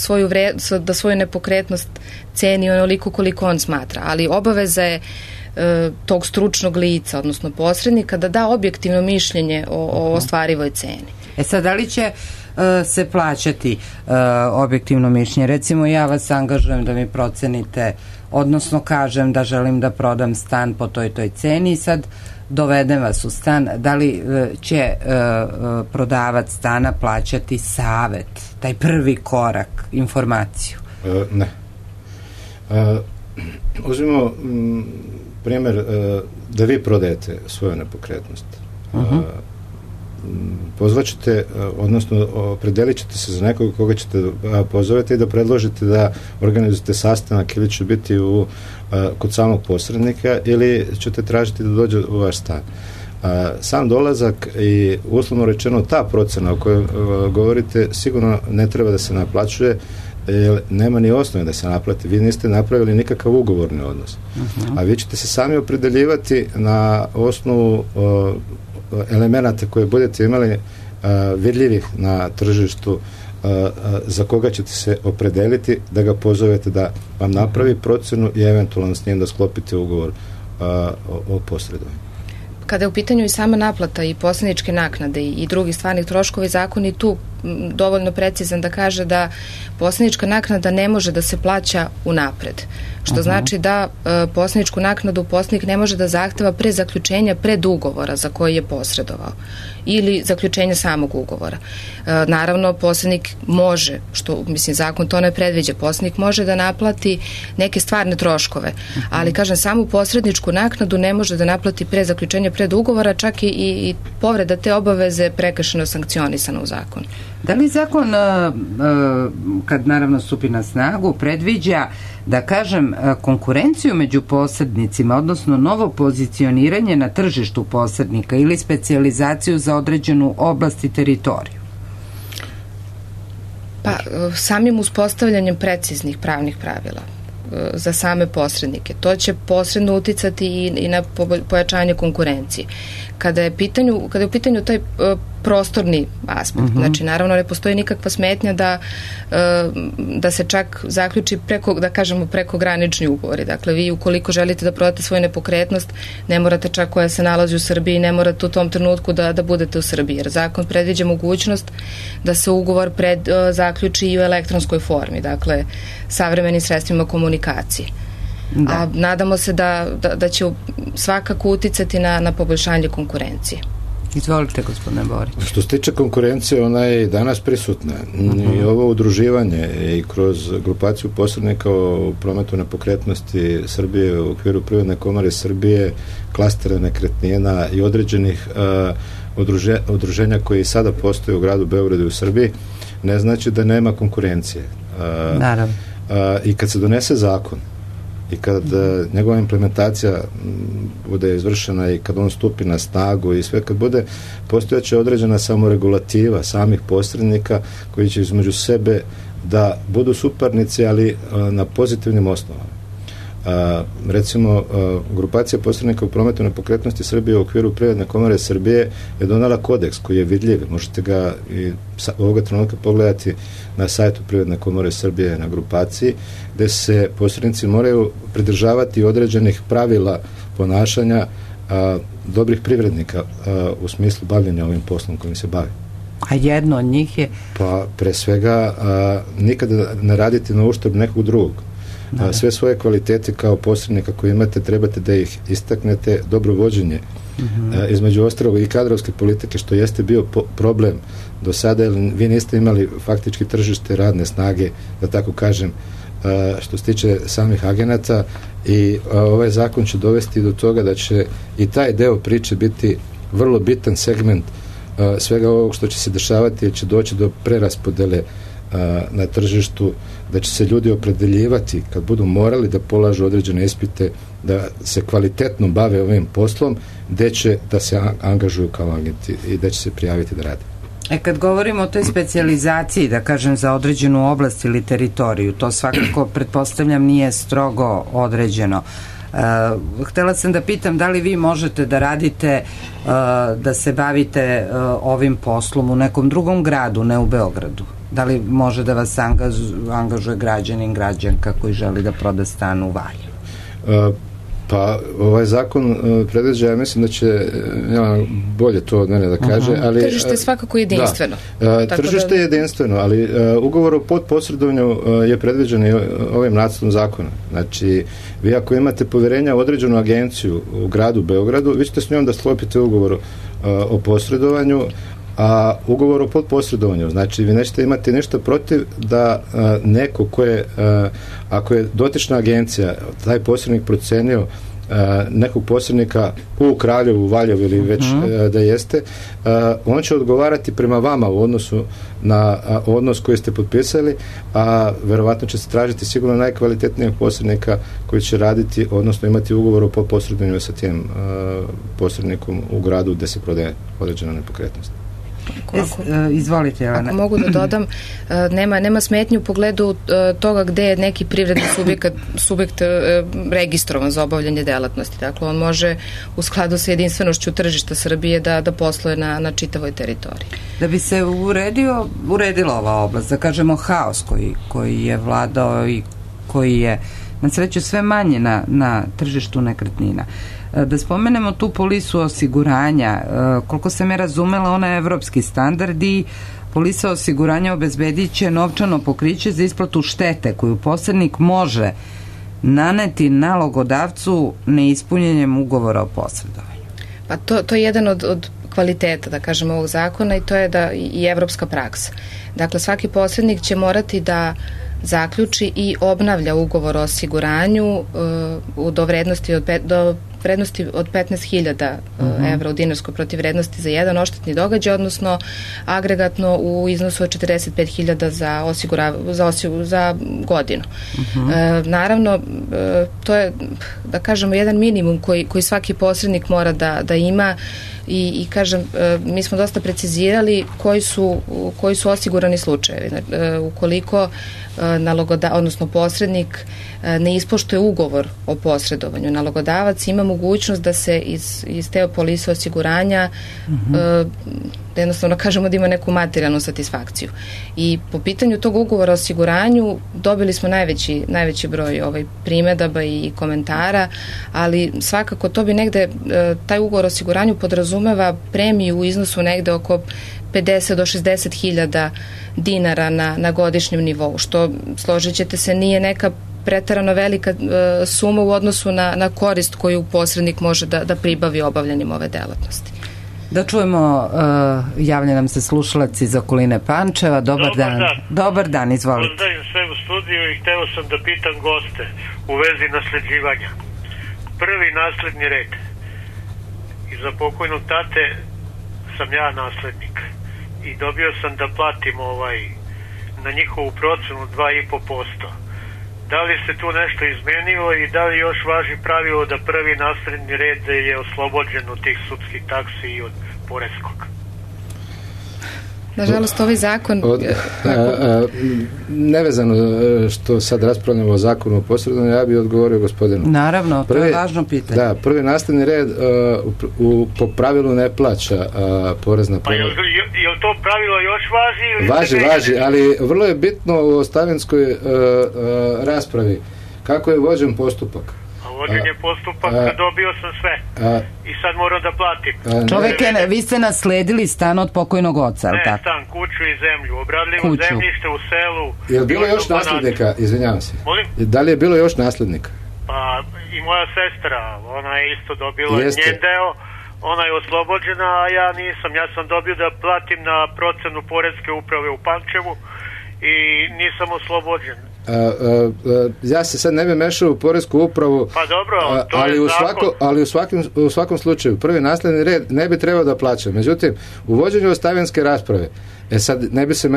svoju nepokretnost ceni onoliko koliko on smatra, ali obaveza je tog stručnog lica, odnosno posrednika, da da objektivno mišljenje o ostvarivoj ceni. Sad, da li će se plaćati objektivno mišljenje? Recimo, ja vas angažujem da mi procenite, odnosno kažem da želim da prodam stan po toj ceni i sad dovedem vas u stan. Da li će prodavac stana plaćati savet, taj prvi korak, informaciju? Ne. Uzmimo primjer da vi prodajete svoju nepokretnost. Pozvaćete, odnosno opredelit ćete se za nekog koga ćete pozovete i da predložite da organizujete sastanak ili će biti kod samog posrednika ili ćete tražiti da dođe u vaš stan. Sam dolazak i uslovno rečeno ta procena o kojoj govorite sigurno ne treba da se naplaćuje, jer nema ni osnove da se naplati. Vi niste napravili nikakav ugovorni odnos. A vi ćete se sami opredeljivati na osnovu elemenata koje budete imali vidljivih na tržištu, za koga ćete se opredeliti, da ga pozovete da vam napravi procenu i eventualno s njim da sklopite ugovor o posredovanju. Kada je u pitanju i sama naplata i posredničke naknade i drugih stvarnih troškova, zakon je tu dovoljno precizan da kaže da posrednička naknada ne može da se plaća unapred. Što znači da posredničku naknadu posrednik ne može da zahteva pre zaključenja predugovora za koji je posredovao ili zaključenja samog ugovora. Naravno, posrednik može, što mislim zakon to ne predviđa, posrednik može da naplati neke stvarne troškove, ali kažem, samu posredničku naknadu ne može da naplati pre zaključenja predugovora, čak i povreda te obaveze prekršeno sankcionisana u zakonu. Da li zakon, kad naravno stupi na snagu, predviđa, da kažem, konkurenciju među posrednicima, odnosno novo pozicioniranje na tržištu posrednika ili specijalizaciju za određenu oblast i teritoriju? Pa, samim uspostavljanjem preciznih pravnih pravila za same posrednike, to će posredno uticati i na pojačanje konkurencije. Kada je u pitanju taj prostorni aspekt, znači naravno ne postoji nikakva smetnja da se čak zaključi prekogranični ugovori. Dakle, vi ukoliko želite da prodate svoju nepokretnost, ne morate čak koja se nalazi u Srbiji, ne morate u tom trenutku da budete u Srbiji, jer zakon predviđa mogućnost da se ugovor zaključi i u elektronskoj formi, dakle savremenim sredstvima komunikacije. Da. A nadamo se da će svakako uticati na poboljšanje konkurencije. Izvolite, gospodine Borić. Što se tiče konkurencije, ona je danas prisutna. I ovo udruživanje i kroz grupaciju posrednika u prometu nepokretnosti Srbije u okviru Privredne komore Srbije, klastera nekretnina i određenih udruženja koji sada postoje u gradu Beogradu i u Srbiji, ne znači da nema konkurencije. Naravno. I kad se donese zakon i kad njegova implementacija bude izvršena i kad on stupi na snagu i sve kad bude postojeća određena samoregulativa samih posrednika koji će između sebe da budu suparnici, ali na pozitivnim osnovama. Recimo, grupacija posrednika u prometu nepokretnosti Srbije u okviru Privredne komore Srbije je donala kodeks koji je vidljiv. Možete ga i ovoga trenutka pogledati na sajtu Privredne komore Srbije na grupaciji, gde se posrednici moraju pridržavati određenih pravila ponašanja dobrih privrednika u smislu bavljenja ovim poslom kojim se bavi. A jedno od njih je? Pa, pre svega, nikada ne raditi na uštrb nekog drugog. Sve svoje kvalitete kao posrednika koje imate trebate da ih istaknete, dobro vođenje, između ostalog i kadrovske politike, što jeste bio problem do sada, jer vi niste imali faktički tržište radne snage, da tako kažem, što se tiče samih agenata, i ovaj zakon će dovesti do toga da će i taj deo priče biti vrlo bitan segment svega ovog što će se dešavati, jer će doći do preraspodele na tržištu, da će se ljudi opredeljivati kad budu morali da polažu određene ispite, da se kvalitetno bave ovim poslom, gde će da se angažuju kao agenti i gde će se prijaviti da rade. Kad govorimo o toj specijalizaciji, da kažem, za određenu oblast ili teritoriju, to svakako, pretpostavljam, nije strogo određeno. Htela sam da pitam da li vi možete da radite, da se bavite ovim poslom u nekom drugom gradu, ne u Beogradu? Da li može da vas angažuje građanin, građanka koji želi da proda stan u Valjevu? Pa, ovaj zakon predviđa, ja mislim da će bolje to od mene da kaže, ali... Tržište je svakako jedinstveno. Tržište je jedinstveno, ali ugovor o podposredovanju je predviđen i ovim nacrtom zakona. Znači, vi ako imate poverenja u određenu agenciju u gradu Beogradu, vi ćete s njom da sklopite ugovor o posredovanju, a ugovor o podposredovanju, znači vi nećete imati ništa protiv da neko ko je, ako je dotična agencija, taj posrednik procenio nekog posrednika u Kraljevu, u Valjevu ili već da jeste, on će odgovarati prema vama u odnosu na odnos koji ste potpisali, a verovatno će se tražiti sigurno najkvalitetnijeg posrednika koji će raditi, odnosno imati ugovor o posredovanju sa tim posrednikom u gradu gde se prodaje određena nepokretnost. Izvolite, Jelena. Ako mogu da dodam, nema smetnje u pogledu toga gde je neki privredni subjekt registrovan za obavljanje delatnosti. Dakle, on može u skladu sa jedinstvenošću tržišta Srbije da posluje na čitavoj teritoriji. Da bi se uredila ova oblast, da kažemo haos koji je vladao i koji je na sreću sve manje na tržištu nekretnina. Da spomenemo tu polisu osiguranja, koliko sam je razumela, ona je evropski standard i polisa osiguranja obezbedit će novčano pokriće za isplatu štete koju posrednik može naneti nalogodavcu neispunjenjem ugovora o posredovanju. Pa to je jedan od kvaliteta, da kažemo, ovog zakona i to je da i evropska praksa. Dakle, svaki posrednik će morati da zaključi i obnavlja ugovor o osiguranju do vrednosti od 15.000 evra u dinarskoj protivvrednosti za jedan odštetni događaj, odnosno agregatno u iznosu od 45.000 za godinu. Naravno, to je, da kažemo, jedan minimum koji svaki posrednik mora da ima i kažem, mi smo dosta precizirali koji su osigurani slučajevi. Ukoliko odnosno posrednik ne ispoštuje ugovor o posredovanju, nalogodavac ima mogućnost da se iz te polise osiguranja jednostavno kažemo da ima neku materijalnu satisfakciju. I po pitanju tog ugovora o osiguranju dobili smo najveći broj primedaba i komentara, ali svakako to bi negde, taj ugovor o osiguranju podrazumeva premiju u iznosu negde oko 50 do 60 hiljada dinara na godišnjem nivou, što, složit ćete se, nije neka preterano velika suma u odnosu na korist koju posrednik može da pribavi obavljanjem ove delatnosti. Da čujemo, javlja nam se slušalac iz okoline Pančeva. Dobar dan. Dobar dan, izvolite. Pozdravim sve u studiju i hteo sam da pitam goste u vezi nasleđivanja. Prvi nasledni red. Iza pokojnog tate sam ja naslednik i dobio sam da platim na njihovu procenu 2,5%. Da li se tu nešto izmenilo i da li još važi pravilo da prvi nasledni red je oslobođen od tih sudskih taksi i od poreskog? Nažalost, ovaj zakon... Nevezano što sad raspravljamo o zakonu o posredovanju, ja bih odgovorio gospodinu. Naravno, to je važno pitanje. Da, prvi nasledni red po pravilu ne plaća porez na promet. Pa je li to pravilo još važi? Važi, ali vrlo je bitno u ostavinskoj raspravi kako je vođen postupak. Vođen je postupak, dobio sam sve i sad moram da platim. Čoveke, vi ste nasledili stan od pokojnog oca, ali tako? Ne, stan, kuću i zemlju, obradljivo zemljište u selu. Je li bilo još naslednika, izvinjavam se? Molim? Da li je bilo još naslednika? Pa i moja sestra, ona je isto dobila njen deo, ona je oslobođena, a ja nisam. Ja sam dobio da platim na procenu poreske uprave u Pančevu i nisam oslobođen. Ja se sad ne bi mešao u poresku upravu, pa dobro, ali u svakom slučaju prvi nasledni red ne bi trebao da plaća. Međutim, u vođenju ostavinske rasprave sad ne bi se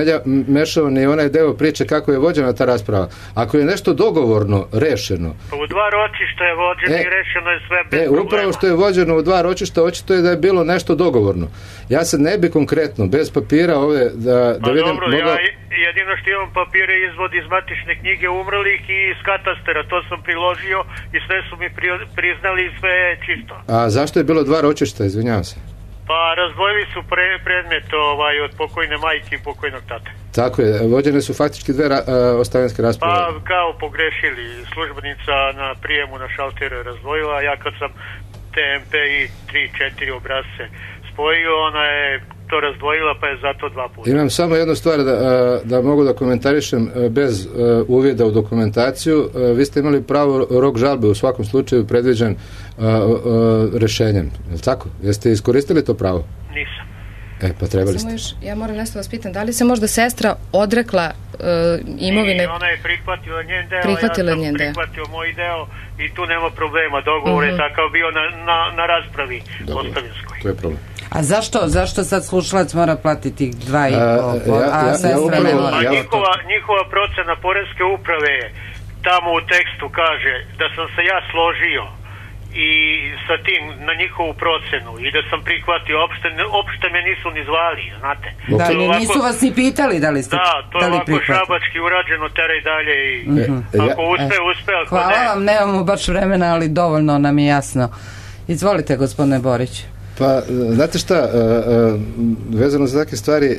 mešao ni onaj deo priče kako je vođena ta rasprava. Ako je nešto dogovorno rešeno, pa u dva ročišta je vođeno i rešeno je sve bez problema. Upravo što je vođeno u dva ročišta, očito je da je bilo nešto dogovorno. Ja sad ne bi konkretno bez papira da vidim... Dobro, jedino što imam papire izvod iz matične knjige umrlih i iz katastera, to sam priložio i sve su mi priznali i sve je čisto. A zašto je bilo dva ročišta, izvinjavam se? Pa razdvojili su predmet od pokojne majke i pokojnog tate. Tako je, vođene su faktički dve ostavinske rasprave. Pa kao pogrešili, službenica na prijemu na šalteru je razdvojila, ja kad sam TMP i 3-4 obrazce spojio, ona je to razdvojila, pa je zato dva puta. Imam samo jednu stvar da mogu da komentarišem bez uvida u dokumentaciju. Vi ste imali pravo rok žalbe u svakom slučaju predviđen rešenjem. Je li tako? Jeste iskoristili to pravo? Nisam. Pa trebali ste. Ja moram nešto vas pitam, da li se možda sestra odrekla imovine? I ona je prihvatila njen deo, ja sam prihvatio moj deo i tu nema problema. Dogovor je takav bio na raspravi ostavinskoj. To je problem. A zašto sad slušalac mora platiti 2,5, a sestra ne mora? Njihova procena poreske uprave je tamo u tekstu kaže da sam se ja složio i sa tim na njihovu procenu i da sam prihvatio, opšte me nisu ni zvali, znate. Da, nisu vas ni pitali da li ste to je ovako šabački urađeno, teraj dalje i ako uspe, ako hvala ne. vam, nemamo baš vremena, ali dovoljno nam je jasno. Izvolite, gospodine Borić. Pa, znate šta, vezano za takve stvari,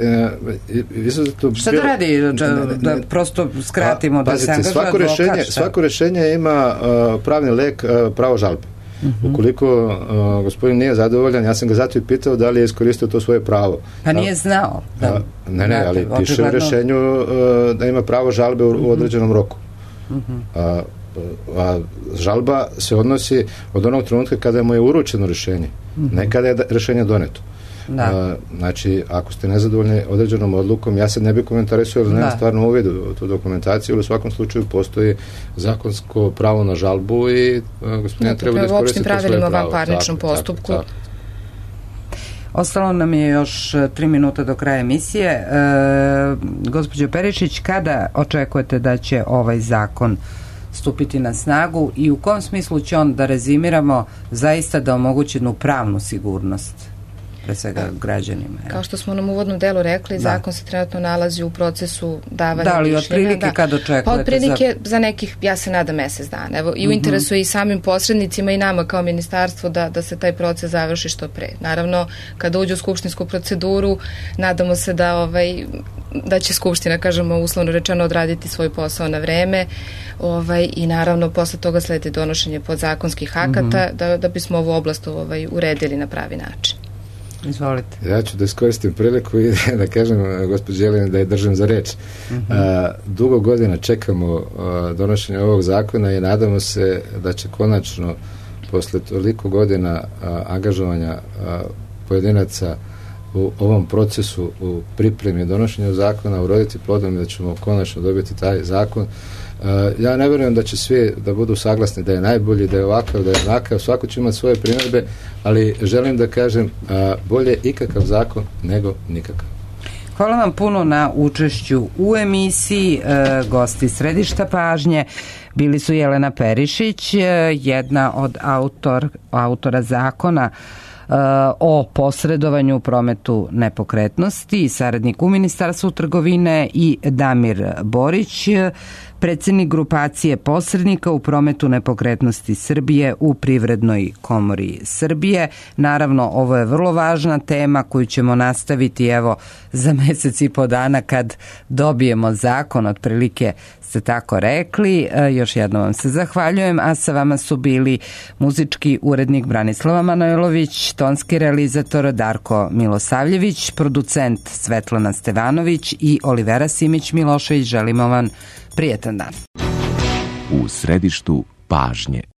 šta da radi, da prosto skratimo, da se angažuje advokat? Svako rešenje ima pravni lek, pravo žalbe. Ukoliko gospodin nije zadovoljan, ja sam ga zato i pitao da li je iskoristio to svoje pravo. Pa nije znao. Ne, ali piše u rešenju da ima pravo žalbe u određenom roku. A žalba se odnosi od onog trenutka kada mu je uručeno rešenje, ne kada je rešenje doneto. Znači, ako ste nezadovoljni određenom odlukom, ja sad ne bih komentarisao ili nema stvarno uvid u tu dokumentaciju, ali u svakom slučaju postoji zakonsko pravo na žalbu i gospodin treba da iskoristi to svoje pravo. U opštim pravilima van parničnom postupku. Ostalo nam je još 3 minuta do kraja emisije. Gospođo Perišić, kada očekujete da će ovaj zakon stupiti na snagu i u kom smislu će on, da rezimiramo, zaista da omogući jednu pravnu sigurnost pre svega građanima? Kao što smo nam u uvodnom delu rekli, zakon se trenutno nalazi u procesu davanja mišljenja. Da li otprilike kad očekujete? Pa otprilike za nekih, ja se nadam, mesec dana. Evo, i u interesu je i samim posrednicima i nama kao ministarstvo da se taj proces završi što pre. Naravno, kada uđe u skupštinsku proceduru, nadamo se da će Skupština, kažemo uslovno rečeno, odraditi svoj posao na vreme i naravno posle toga sledi donošenje podzakonskih akata da bismo ovu oblast uredili na pravi način. Izvolite. Ja ću da iskoristim priliku i da kažem gospođi Jeleni da je držim za reč. Dugo godina čekamo donošenje ovog zakona i nadamo se da će konačno posle toliko godina angažovanja pojedinaca u ovom procesu u pripremi donošenja zakona uroditi plodom i da ćemo konačno dobiti taj zakon. Ja ne vjerujem da će svi da budu saglasni da je najbolji, da je ovakav, da je onakav, svako će imati svoje primjedbe, ali želim da kažem bolje ikakav zakon nego nikakav. Hvala vam puno na učešću u emisiji. Gosti Središta pažnje bili su Jelena Perišić, jedna od autora zakona o posredovanju u prometu nepokretnosti, saradnik u Ministarstvu trgovine, i Damir Borić, predsjednik grupacije posrednika u prometu nepokretnosti Srbije u Privrednoj komori Srbije. Naravno, ovo je vrlo važna tema koju ćemo nastaviti za mesec i po dana kad dobijemo zakon, otprilike ste tako rekli. Još jednom vam se zahvaljujem, a sa vama su bili muzički urednik Branislava Manojlović, tonski realizator Darko Milosavljević, producent Svetlana Stevanović i Olivera Simić-Milošević. Želimo vam prijetan dan. U središtu pažnje.